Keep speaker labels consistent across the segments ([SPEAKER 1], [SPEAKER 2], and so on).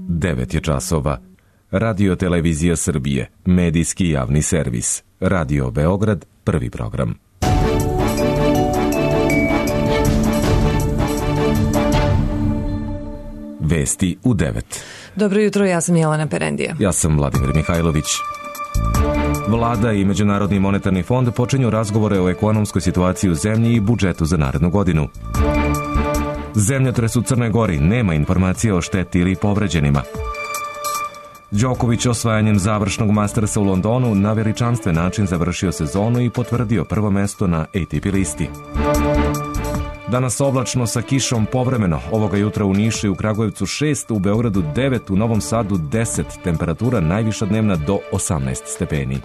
[SPEAKER 1] 9 je časova. Radio Televizija Srbije, medijski javni servis. Radio Beograd, prvi program. Vesti u 9.
[SPEAKER 2] Dobro jutro, ja sam Jelena Perendija.
[SPEAKER 1] Ja sam Vladimir Mihajlović. Vlada i Međunarodni monetarni fond počinju razgovore o ekonomskoj situaciji u zemlji i budžetu za narednu godinu. Zemljotres u Crnoj Gori, nema informacije o šteti ili povređenima. Đoković osvajanjem završnog Mastersa u Londonu na veličanstven način završio sezonu i potvrdio prvo mesto na ATP listi. Danas oblačno sa kišom povremeno, ovoga jutra u Nišu i u Kragujevcu 6, u Beogradu 9, u Novom Sadu 10, temperatura najviša dnevna do 18 stepeni.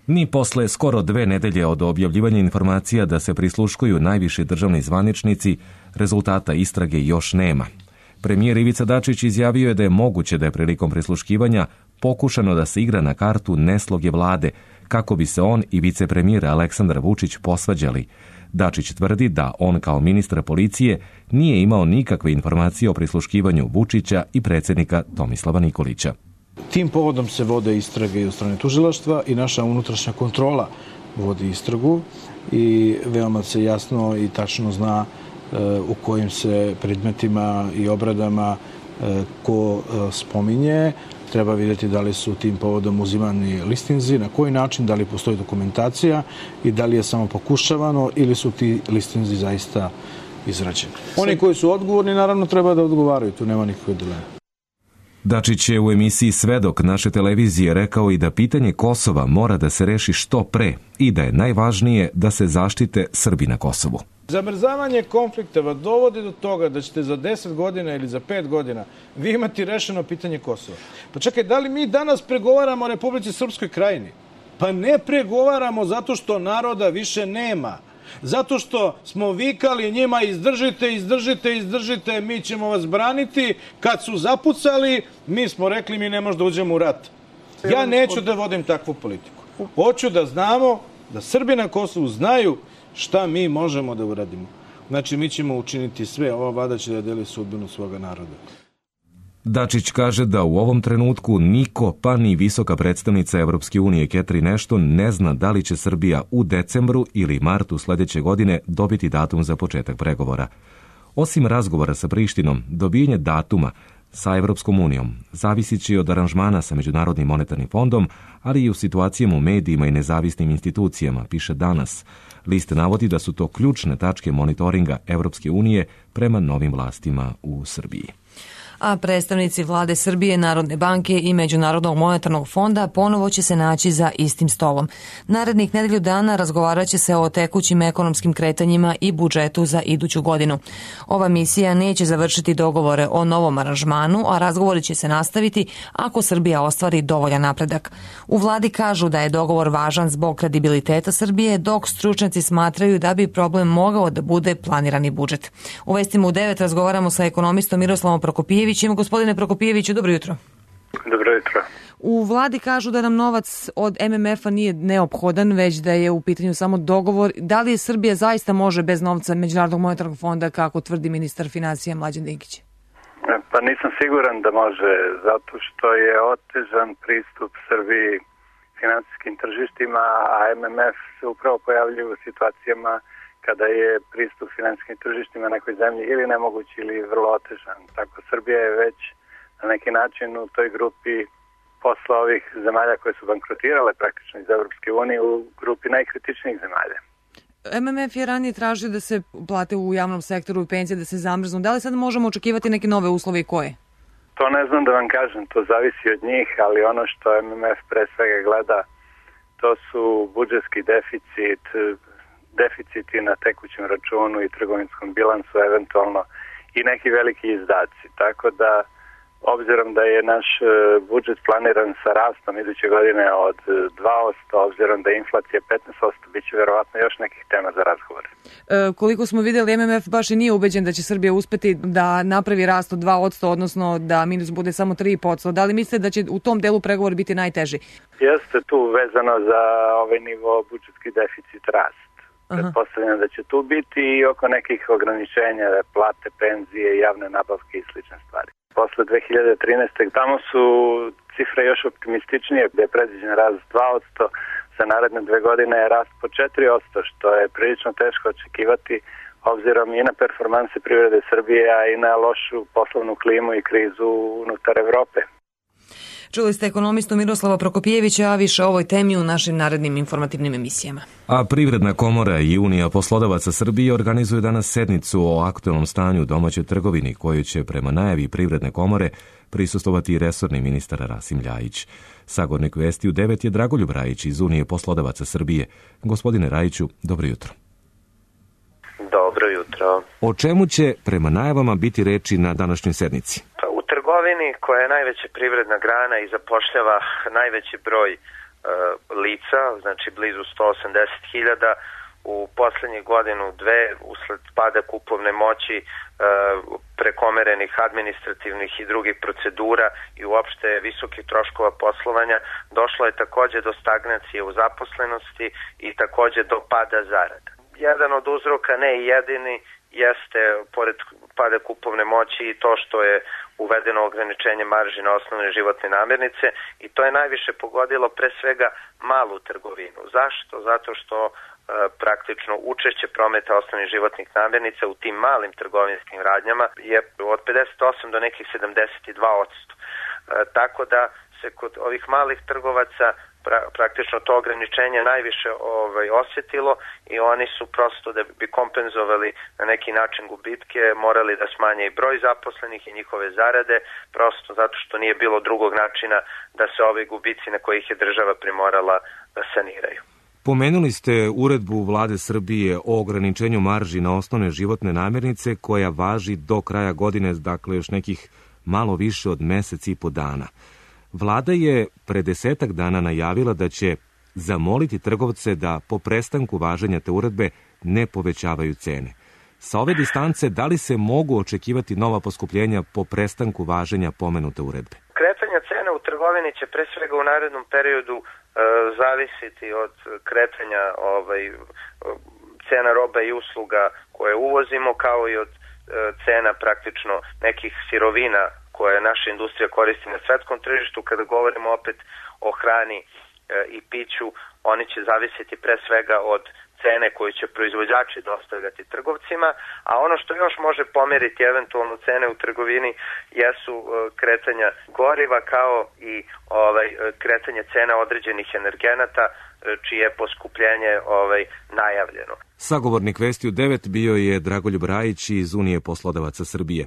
[SPEAKER 1] Ni posle skoro 2 nedelje od objavljivanja informacija da se prisluškuju najviši državni zvaničnici, rezultata istrage još nema. Premijer Ivica Dačić izjavio je da je moguće da je prilikom prisluškivanja pokušano da se igra na kartu nesloge vlade, kako bi se on i vicepremijer Aleksandar Vučić posvađali. Dačić tvrdi da on kao ministar policije nije imao nikakve informacije o prisluškivanju Vučića i predsjednika Tomislava Nikolića.
[SPEAKER 3] Tim povodom se vode istrage i od strane tužilaštva i naša unutrašnja kontrola vodi istragu i veoma se jasno i tačno zna u kojim se predmetima i obradama ko spominje. Treba vidjeti da li su tim povodom uzimani listinzi, na koji način, da li postoji dokumentacija i da li je samo pokušavano ili su ti listinzi zaista izrađeni. Oni koji su odgovorni naravno treba da odgovaraju, tu nema nikakve dileme.
[SPEAKER 1] Dačić je u emisiji Svedok naše televizije rekao i da pitanje Kosova mora da se reši što pre i da je najvažnije da se zaštite Srbi na Kosovu.
[SPEAKER 3] Zamrzavanje konflikta vas dovodi do toga da ćete za 10 godina ili za 5 godina vi imati rešeno pitanje Kosova. Pa čekaj, da li mi danas pregovaramo o Republici Srpskoj Krajini? Pa ne pregovaramo zato što naroda više nema. Zato što smo vikali njima izdržite, izdržite, izdržite, mi ćemo vas braniti. Kad su zapucali, mi smo rekli mi ne možemo da uđemo u rat. Ja neću da vodim takvu politiku. Hoću da znamo, da Srbi na Kosovu znaju šta mi možemo da uradimo. Znači, mi ćemo učiniti sve, ova vlada će da deli sudbinu svoga naroda.
[SPEAKER 1] Dačić kaže da u ovom trenutku niko, pa ni visoka predstavnica Evropske unije Catherine Ashton ne zna da li će Srbija u decembru ili martu sljedeće godine dobiti datum za početak pregovora. Osim razgovora sa Prištinom, dobijanje datuma sa Evropskom unijom zavisit će od aranžmana sa Međunarodnim monetarnim fondom, ali i u situacijama u medijima i nezavisnim institucijama, piše Danas. List navodi da su to ključne tačke monitoringa Evropske unije prema novim vlastima u Srbiji.
[SPEAKER 2] A predstavnici vlade Srbije, Narodne banke i Međunarodnog monetarnog fonda ponovo će se naći za istim stolom. Narednih nedelju dana razgovarat će se o tekućim ekonomskim kretanjima i budžetu za iduću godinu. Ova misija neće završiti dogovore o novom aranžmanu, a razgovori će se nastaviti ako Srbija ostvari dovoljan napredak. U vladi kažu da je dogovor važan zbog kredibiliteta Srbije, dok stručnjaci smatraju da bi problem mogao da bude planirani budžet. U vestima u 9 razgovaramo sa ekonomistom Miroslavom Prokopijevićem. Gospodine Prokopijeviću, dobro jutro.
[SPEAKER 4] Dobro jutro.
[SPEAKER 2] U vladi kažu da nam novac od MMF-a nije neophodan, već da je u pitanju samo dogovor. Da li Srbija zaista može bez novca Međunarodnog monetarnog fonda, kako tvrdi ministar financija Mlađan Dinkić?
[SPEAKER 4] Pa nisam siguran da može, zato što je otežan pristup Srbiji finansijskim tržištima, a MMF se upravo pojavljuje u situacijama kada je pristup finansijskim tržištima nekoj zemlji ili nemoguć ili vrlo otežan. Tako Srbija je već na neki način u toj grupi posle ovih zemalja koje su bankrotirale praktično iz Evropske unije u grupi najkritičnijih zemalja.
[SPEAKER 2] MMF je ranije tražio da se plate u javnom sektoru i penzije da se zamrznu. Da li sad možemo očekivati neke nove uslove i koje?
[SPEAKER 4] To ne znam da vam kažem, to zavisi od njih, ali ono što MMF pre svega gleda, to su budžetski deficiti na tekućem računu i trgovinskom bilansu, eventualno i neki veliki izdaci. Tako da, obzirom da je naš budžet planiran sa rastom iduće godine od 2%, obzirom da je inflacija 15%, bit će verovatno još nekih tema za razgovor.
[SPEAKER 2] Koliko smo vidjeli, MMF baš i nije ubeđen da će Srbija uspeti da napravi rast od 2%, odnosno da minus bude samo 3%. Da li mislite da će u tom delu pregovor biti najteži?
[SPEAKER 4] Jeste tu vezano za ovaj nivo budžetski deficit rast. pretpostavljam da će tu biti i oko nekih ograničenja, plate, penzije, javne nabavke i slične stvari. Posle 2013. tamo su cifre još optimističnije, gde je predviđen rast 2%, za naredne 2 godine je rast po 4%, što je prilično teško očekivati obzirom i na performanse privrede Srbije, a i na lošu poslovnu klimu i krizu unutar Evrope.
[SPEAKER 2] Čuli ste ekonomistu Miroslava Prokopijevića, a više o ovoj temi u našim narednim informativnim emisijama.
[SPEAKER 1] A Privredna komora i Unija poslodavaca Srbije organizuju danas sednicu o aktualnom stanju u domaćoj trgovini, koju će prema najavi Privredne komore prisustvovati i resorni ministar Rasim Ljajić. Sagornik Vesti u 9 je Dragoljub Rajić iz Unije poslodavaca Srbije. Gospodine Rajiću, dobro jutro.
[SPEAKER 5] Dobro jutro.
[SPEAKER 1] O čemu će prema najavama biti reči na današnjoj sednici?
[SPEAKER 5] U trgovini, koja je najveća privredna grana i zapošljava najveći broj lica, znači blizu 180.000, u poslednjih godinu, dve, usled pada kupovne moći, prekomerenih administrativnih i drugih procedura i uopšte visokih troškova poslovanja, došlo je takođe do stagnacije u zaposlenosti i takođe do pada zarada. Jedan od uzroka, ne i jedini, jeste, pored pada kupovne moći, i to što je uvedeno ograničenje marži na osnovne životne namirnice, i to je najviše pogodilo pre svega malu trgovinu. Zašto? Zato što praktično učešće prometa osnovnih životnih namirnica u tim malim trgovinskim radnjama je od 58 do nekih 72%. Tako da se kod ovih malih trgovaca praktično to ograničenje najviše osjetilo i oni su prosto, da bi kompenzovali na neki način gubitke, morali da smanje i broj zaposlenih i njihove zarade, prosto zato što nije bilo drugog načina da se ovi gubici na kojih je država primorala da saniraju.
[SPEAKER 1] Pomenuli ste uredbu Vlade Srbije o ograničenju marži na osnovne životne namirnice koja važi do kraja godine, dakle još nekih malo više od mesec i po dana. Vlada je pre 10 dana najavila da će zamoliti trgovce da po prestanku važenja te uredbe ne povećavaju cene. Sa ove distance, da li se mogu očekivati nova poskupljenja po prestanku važenja pomenute uredbe?
[SPEAKER 5] Kretanja cena u trgovini će pre svega u narednom periodu zavisiti od kretanja cena roba i usluga koje uvozimo, kao i od cena praktično nekih sirovina koje naša industrija koristi na svetskom tržištu. Kada govorimo opet o hrani i piću, oni će zavisiti pre svega od cene koju će proizvođači dostavljati trgovcima, a ono što još može pomeriti eventualno cene u trgovini jesu kretanja goriva, kao i kretanje cena određenih energenata, čije je poskupljenje najavljeno.
[SPEAKER 1] Sagovornik Vesti u 9 bio je Dragoljub Rajić iz Unije poslodavaca Srbije.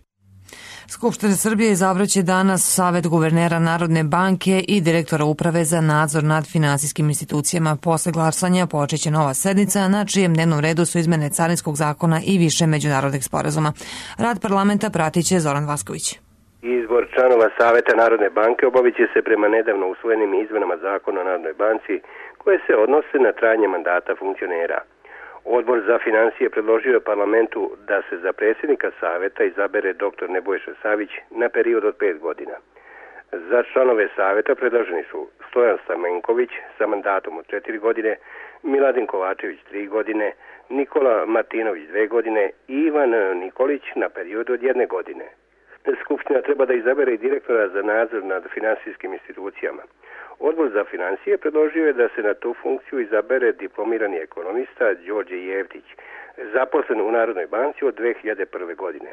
[SPEAKER 2] Skupština Srbije izabraće danas Savet guvernera Narodne banke i direktora Uprave za nadzor nad finansijskim institucijama. Posle glasanja počeće nova sednica, na čijem dnevnom redu su izmene Carinskog zakona i više međunarodnih sporazuma. Rad parlamenta pratit će Zoran Vasković.
[SPEAKER 6] Izbor članova Saveta Narodne banke obavit će se prema nedavno usvojenim izmenama Zakona o Narodnoj banci, koje se odnose na trajanje mandata funkcionera. Odbor za financije predložio je parlamentu da se za predsjednika Saveta izabere dr. Nebojša Savić na period od 5 godina. Za članove Saveta predloženi su Stojan Stamenković sa mandatom od 4 godine, Miladin Kovačević 3 godine, Nikola Martinović 2 godine i Ivan Nikolić na period od 1 godine. Skupština treba da izabere i direktora za nadzor nad finansijskim institucijama. Odbor za financije predložio je da se na tu funkciju izabere diplomirani ekonomista Đorđe Jevtić, zaposlen u Narodnoj banci od 2001. godine.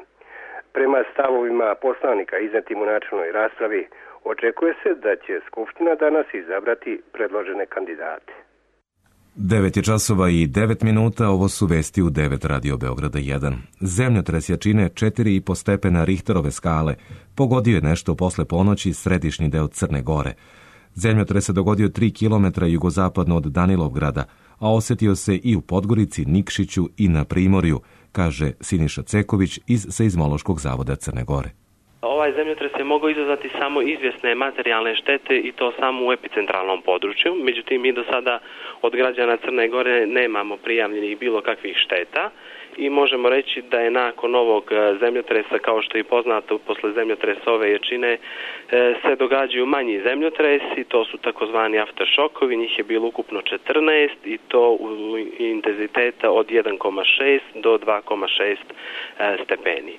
[SPEAKER 6] Prema stavovima poslanika iznetim u načelnoj raspravi, očekuje se da će Skupština danas izabrati predložene kandidate.
[SPEAKER 1] 9 je časova i 9 minuta, ovo su vesti u 9 Radio Beograda 1. Zemljotres jačine 4,5 stepena Richterove skale pogodio je nešto posle ponoći središnji deo Crne Gore. Zemljotres se dogodio 3 km jugozapadno od Danilovgrada, a osetio se i u Podgorici, Nikšiću i na Primorju, kaže Siniša Ceković iz Seizmološkog zavoda Crne Gore.
[SPEAKER 7] Ovaj zemljotres je mogao izazvati samo izvjesne materijalne štete i to samo u epicentralnom području. Međutim, mi do sada od građana Crne Gore nemamo prijavljenih bilo kakvih šteta i možemo reći da je nakon ovog zemljotresa, kao što je poznato posle zemljotresa ove jačine, se događaju manji zemljotresi, to su takozvani afteršokovi, njih je bilo ukupno 14 i to u intenziteta od 1,6 do 2,6 stepeni.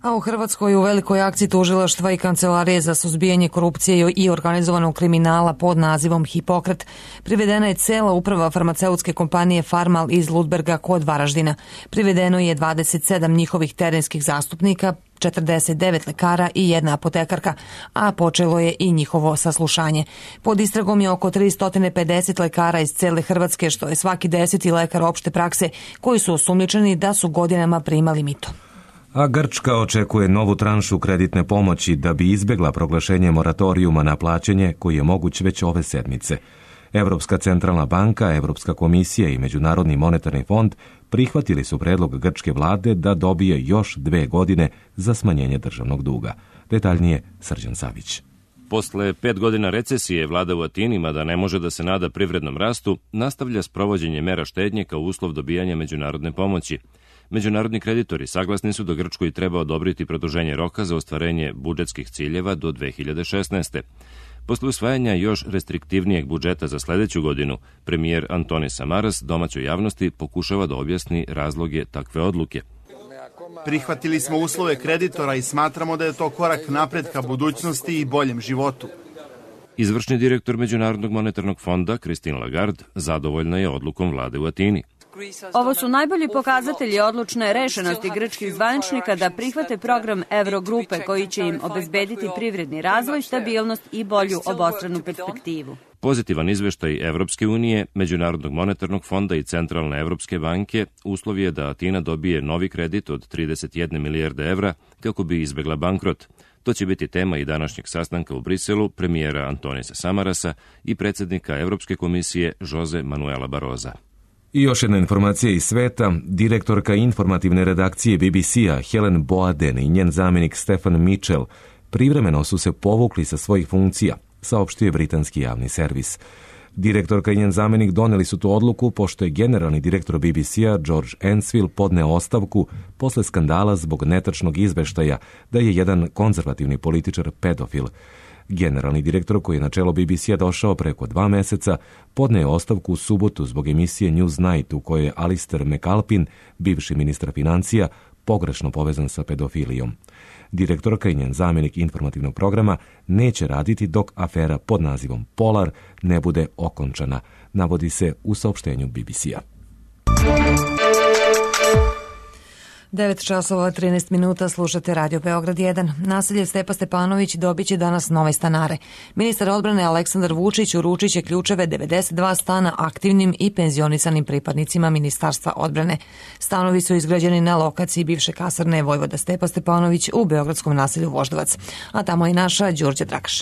[SPEAKER 2] A u Hrvatskoj u velikoj akciji tužilaštva i Kancelarije za suzbijanje korupcije i organizovanog kriminala pod nazivom Hipokrat privedena je cela uprava farmaceutske kompanije Farmal iz Ludberga kod Varaždina. Privedeno je 27 njihovih terenskih zastupnika, 49 lekara i jedna apotekarka, a počelo je i njihovo saslušanje. Pod istragom je oko 350 lekara iz cele Hrvatske, što je svaki 10. lekar opšte prakse, koji su osumnjičeni da su godinama primali mito.
[SPEAKER 1] A Grčka očekuje novu tranšu kreditne pomoći da bi izbjegla proglašenje moratorijuma na plaćanje koji je moguć već ove sedmice. Evropska centralna banka, Evropska komisija i Međunarodni monetarni fond prihvatili su predlog grčke vlade da dobije još 2 godine za smanjenje državnog duga. Detaljnije Srđan Savić.
[SPEAKER 8] Posle 5 godina recesije, vlada u Atini, mada ne može da se nada privrednom rastu, nastavlja sprovođenje mera štednje kao uslov dobijanja međunarodne pomoći. Međunarodni kreditori saglasni su da Grčkoj treba odobriti produženje roka za ostvarenje budžetskih ciljeva do 2016. Posle usvajanja još restriktivnijeg budžeta za sledeću godinu, premijer Antonis Samaras domaćoj javnosti pokušava da objasni razloge takve odluke.
[SPEAKER 9] Prihvatili smo uslove kreditora i smatramo da je to korak napred ka budućnosti i boljem životu.
[SPEAKER 8] Izvršni direktor Međunarodnog monetarnog fonda, Christine Lagarde, zadovoljna je odlukom vlade u Atini.
[SPEAKER 10] Ovo su najbolji pokazatelji odlučne rešenosti grčkih zvaničnika da prihvate program Eurogrupe koji će im obezbediti privredni razvoj, stabilnost i bolju obostranu perspektivu.
[SPEAKER 8] Pozitivan izveštaj Evropske unije, Međunarodnog monetarnog fonda i Centralne Evropske banke uslov je da Atina dobije novi kredit od 31 milijarde evra kako bi izbegla bankrot. To će biti tema i današnjeg sastanka u Briselu premijera Antonisa Samarasa i predsjednika Evropske komisije Jose Manuela Barroza.
[SPEAKER 1] I još jedna informacija iz sveta. Direktorka informativne redakcije BBC-a Helen Boaden i njen zamjenik Stefan Mitchell privremeno su se povukli sa svojih funkcija, saopštio je britanski javni servis. Direktorka i njen zamjenik doneli su tu odluku pošto je generalni direktor BBC-a George Ensfield podneo ostavku posle skandala zbog netačnog izveštaja da je jedan konzervativni političar pedofil. Generalni direktor, koji je na čelo BBC-a došao preko 2 meseca, podneo ostavku u subotu zbog emisije Newsnight u kojoj je Alistair McAlpin, bivši ministar financija, pogrešno povezan sa pedofilijom. Direktorka i njen zamjenik informativnog programa neće raditi dok afera pod nazivom Polar ne bude okončana, navodi se u saopštenju BBC-a.
[SPEAKER 2] 9 časova 13 minuta, slušate Radio Beograd 1. Naselje Stepa Stepanović dobit će danas nove stanare. Ministar odbrane Aleksandar Vučić uručit će ključeve 92 stana aktivnim i penzionisanim pripadnicima Ministarstva odbrane. Stanovi su izgrađeni na lokaciji bivše kasarne Vojvoda Stepa Stepanović u beogradskom naselju Voždovac. A tamo je naša Đurđe Drakaš.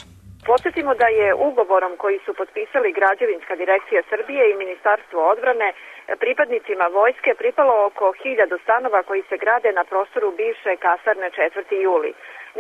[SPEAKER 11] Podsjetimo da je ugovorom koji su potpisali Građevinska direkcija Srbije i Ministarstvo odbrane pripadnicima vojske pripalo oko 1000 stanova koji se grade na prostoru bivše kasarne 4. juli.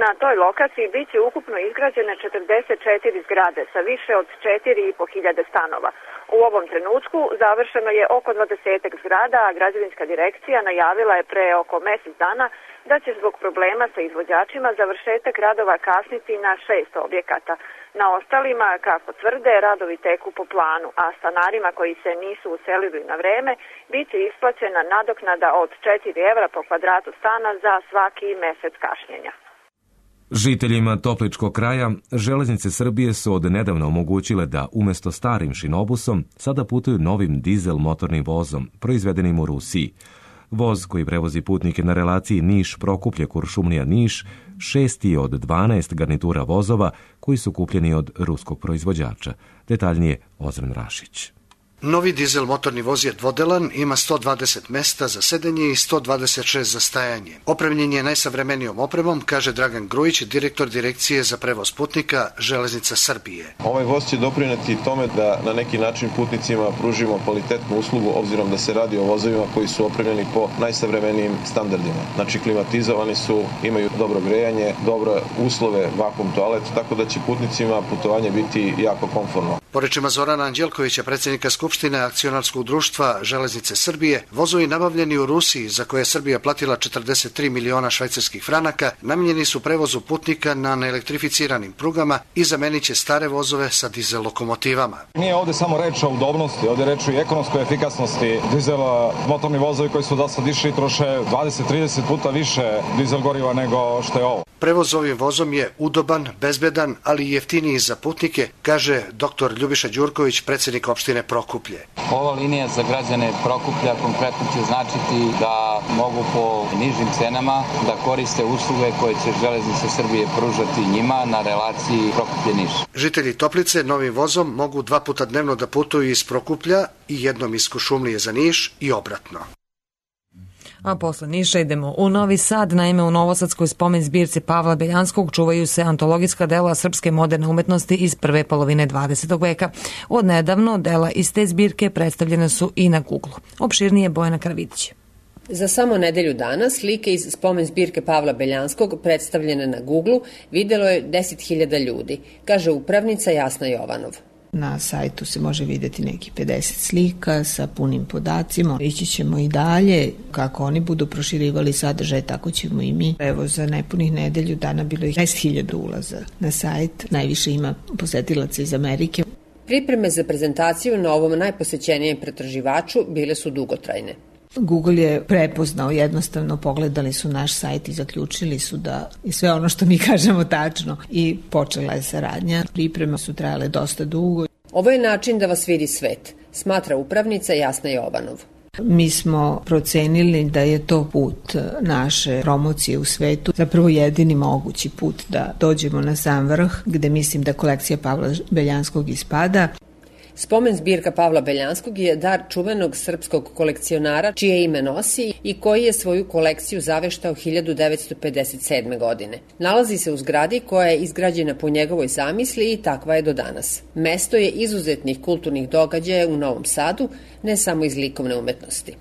[SPEAKER 11] Na toj lokaciji bit će ukupno izgrađene 44 zgrade sa više od 4500 stanova. U ovom trenutku završeno je oko 20 zgrada, a Građevinska direkcija najavila je pre oko mesec dana da će zbog problema sa izvođačima završetak radova kasniti na 6 objekata. Na ostalima, kako tvrde, radovi teku po planu, a stanarima koji se nisu uselili na vreme bit će isplaćena nadoknada od 4 evra po kvadratu stana za svaki mesec kašnjenja.
[SPEAKER 1] Žiteljima Topličkog kraja Železnice Srbije su od nedavno omogućile da umesto starim šinobusom sada putuju novim dizel motornim vozom, proizvedenim u Rusiji. Voz koji prevozi putnike na relaciji Niš-Prokuplje-Kuršumlija-Niš 6. je od 12 garnitura vozova koji su kupljeni od ruskog proizvođača. Detaljnije Ozren Rašić.
[SPEAKER 12] Novi dizel motorni voz je dvodelan, ima 120 mesta za sedenje i 126 za stajanje. Opremljen je najsavremenijom opremom, kaže Dragan Grujić, direktor Direkcije za prevoz putnika Železnica Srbije.
[SPEAKER 13] Ovaj voz će doprineti tome da na neki način putnicima pružimo kvalitetnu uslugu, obzirom da se radi o vozovima koji su opremljeni po najsavremenijim standardima. Znači klimatizovani su, imaju dobro grejanje, dobre uslove, vakuum toalet, tako da će putnicima putovanje biti jako komfortno.
[SPEAKER 12] Po rečima Zorana Anđelkovića, predsjednika Skupštine Akcionarskog društva Železnice Srbije, vozovi nabavljeni u Rusiji, za koje je Srbija platila 43 miliona švajcarskih franaka, namijenjeni su prevozu putnika na neelektrificiranim prugama i zamenit će stare vozove sa dizel lokomotivama.
[SPEAKER 14] Nije ovdje samo reč o udobnosti, ovdje je reč o ekonomskoj efikasnosti. Dizel motorni vozovi koji su do sad išli troše 20-30 puta više dizel goriva nego što je ovo.
[SPEAKER 12] Prevoz ovim vozom je udoban, bezbedan, ali i jeftiniji za putnike, kaže dr. Ljubiša Đurković, predsjednik opštine Prokuplje.
[SPEAKER 15] Ova linija za građane Prokuplja konkretno će značiti da mogu po nižim cenama da koriste usluge koje će Železnice Srbije pružati njima na relaciji Prokuplje-Niš.
[SPEAKER 12] Žitelji Toplice novim vozom mogu 2 puta dnevno da putuju iz Prokuplja i jednom iz Kuršumlije za Niš i obratno.
[SPEAKER 2] A posle Niša idemo u Novi Sad. Naime, u Novosadskoj spomen zbirci Pavla Beljanskog čuvaju se antologijska dela srpske moderne umetnosti iz prve polovine 20. veka. Od nedavno dela iz te zbirke predstavljene su i na Google. Opširnije Bojana Karavidić.
[SPEAKER 16] Za samo nedelju dana slike iz spomen zbirke Pavla Beljanskog predstavljene na Google videlo je 10.000 ljudi, kaže upravnica Jasna Jovanov.
[SPEAKER 17] Na sajtu se može vidjeti neki 50 slika sa punim podacima. Ići ćemo i dalje. Kako oni budu proširivali sadržaj, tako ćemo i mi. Evo, za nepunih nedelju dana bilo je 10.000 ulaza na sajt. Najviše ima posetilaca iz Amerike.
[SPEAKER 16] Pripreme za prezentaciju na ovom najposećenijem pretraživaču bile su dugotrajne.
[SPEAKER 17] Google je prepoznao, jednostavno pogledali su naš sajt i zaključili su da je sve ono što mi kažemo tačno i počela je saradnja. Pripreme su trajale dosta dugo.
[SPEAKER 16] Ovo je način da vas vidi svet, smatra upravnica Jasna Jovanov.
[SPEAKER 17] Mi smo procenili da je to put naše promocije u svetu, zapravo jedini mogući put da dođemo na sam vrh, gde mislim da kolekcija Pavla Beljanskog ispada.
[SPEAKER 16] Spomen zbirka Pavla Beljanskog je dar čuvenog srpskog kolekcionara čije ime nosi i koji je svoju kolekciju zaveštao 1957. godine. Nalazi se u zgradi koja je izgrađena po njegovoj zamisli i takva je do danas. Mesto je izuzetnih kulturnih događaja u Novom Sadu, ne samo iz likovne umetnosti.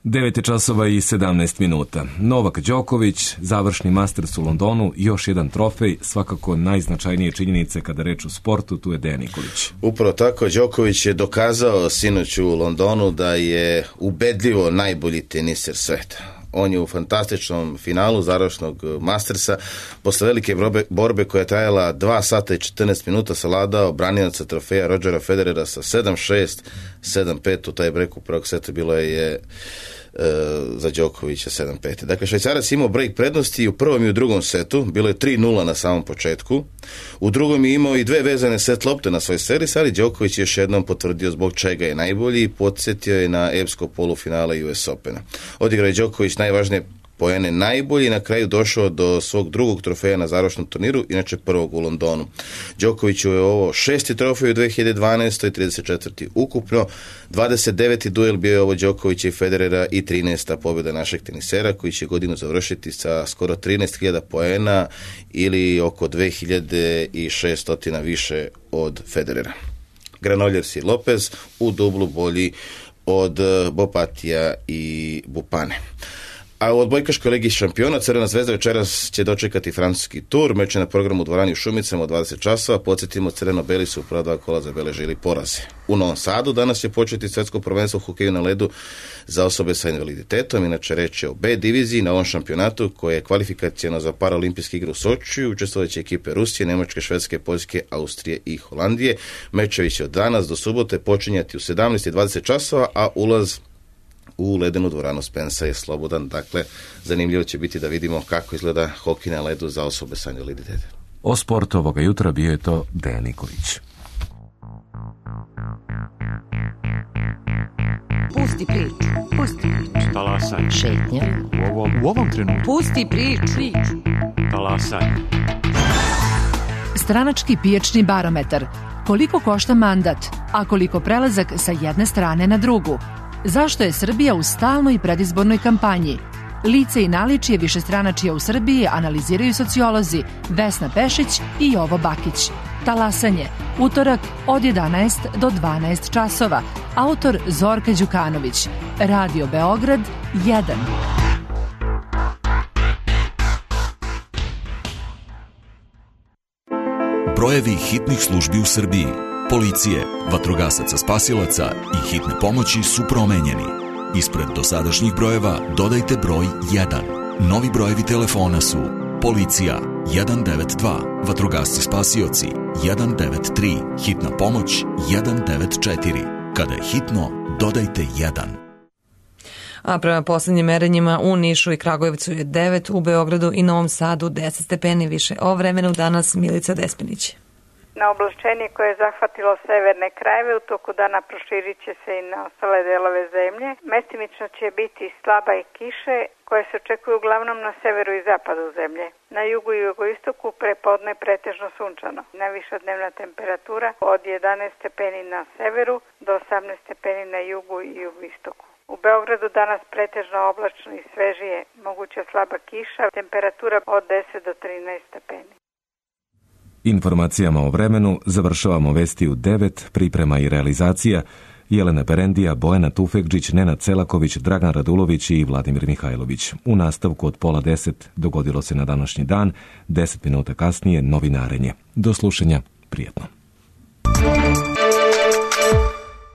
[SPEAKER 1] 9 časova i 17 minuta. Novak Đoković, završni Masters u Londonu, još jedan trofej, svakako najznačajnije činjenice kada reč o sportu, tu je Dejan Nikolić.
[SPEAKER 18] Upravo tako, Đoković je dokazao sinoć u Londonu da je ubedljivo najbolji teniser sveta. On je u fantastičnom finalu završnog Mastersa posle velike borbe koja je trajala 2 sata i 14 minuta savladao branioca trofeja Rodgera Federera sa 7-6, 7-5 u taj breku prvog seta bilo je za Đokovića 7-5. Dakle, Švajcarac imao break prednosti i u prvom i u drugom setu, bilo je 3-0 na samom početku. U drugom je imao i 2 vezane set lopte na svoj servis, ali Đoković je još jednom potvrdio zbog čega je najbolji i podsjetio je na epsko polufinale US Opena. Odigrao je Đoković najvažnije poene najbolji i na kraju došao do svog drugog trofeja na završnom turniru, inače prvog u Londonu. Đokoviću je ovo 6. trofej u 2012. i 34. ukupno. 29. duel bio je ovo Đokovića i Federera i 13. pobjeda našeg tenisera koji će godinu završiti sa skoro 13.000 poena ili oko 2.600 više od Federera. Granollers i Lopez u dublu bolji od Bopatija i Bupane. A u odbojkaškoj ligi šampiona Crvena zvezda večeras će dočekati francuski tur. Meč je na programu u dvorani u Šumicama od 20 časova. Podsjetimo, crveno-beli su u prva 2 kola zabeležili poraze. U Novom Sadu danas će početi svetsko prvenstvo u hokeju na ledu za osobe sa invaliditetom. Inače reč je o B diviziji na ovom šampionatu koje je kvalifikacijeno za paraolimpijske igre u Sočiju. Učestvovaće ekipe Rusije, Nemačke, Švedske, Poljske, Austrije i Holandije. Mečevi će od danas do subote počinjati u 17:20 časova, a ulaz u ledenu dvoranu Spensa je slobodan. Dakle, zanimljivo će biti da vidimo kako izgleda hokej na ledu za osobe sa invaliditetom.
[SPEAKER 1] O sportu ovoga jutra bio je to Dejan Nikolić.
[SPEAKER 19] Pusti priču. Pusti priču.
[SPEAKER 20] Talasaj.
[SPEAKER 19] Šetnja.
[SPEAKER 20] U ovom trenutku.
[SPEAKER 19] Pusti priču.
[SPEAKER 20] Talasaj.
[SPEAKER 21] Stranački pijačni barometar.
[SPEAKER 20] Koliko košta mandat, a koliko prelazak sa jedne strane na drugu? Zašto je Srbija u stalnoj predizbornoj kampanji? Lice i naličje višestranačija u Srbiji analiziraju sociolozi Vesna Pešić i Jovo Bakić. Talasanje, utorak od 11 do 12 časova. Autor Zorka Đukanović. Radio Beograd 1.
[SPEAKER 21] Brojevi hitnih službi u Srbiji, policije, vatrogasaca spasilaca i hitne pomoći su promenjeni. Ispred dosadašnjih brojeva dodajte broj 1. Novi brojevi telefona su policija 192, vatrogasci spasioci 193, hitna pomoć 194. Kada je hitno, dodajte 1.
[SPEAKER 2] A prema poslednjim merenjima u Nišu i Kragujevcu je 9, u Beogradu i Novom Sadu 10 stepeni više. O vremenu danas Milica Despinić.
[SPEAKER 22] Na oblačenje koje je zahvatilo severne krajeve u toku dana proširit će se i na ostale delove zemlje. Mestimično će biti slaba i kiše koje se očekuju uglavnom na severu i zapadu zemlje. Na jugu i jugoistoku prepodne pretežno sunčano. Najviša dnevna temperatura od 11 stepeni na severu do 18 stepeni na jugu i jugoistoku. U Beogradu danas pretežno oblačno i svežije, moguća slaba kiša, temperatura od 10 do 13 stepeni.
[SPEAKER 1] Informacijama o vremenu završavamo vesti u 9, priprema i realizacija Jelena Perendija, Bojana Tufekđić, Nenad Celaković, Dragan Radulović i Vladimir Mihajlović. U nastavku od 9:30 dogodilo se na današnji dan, 10 minuta kasnije novinarenje. Do slušanja, prijetno.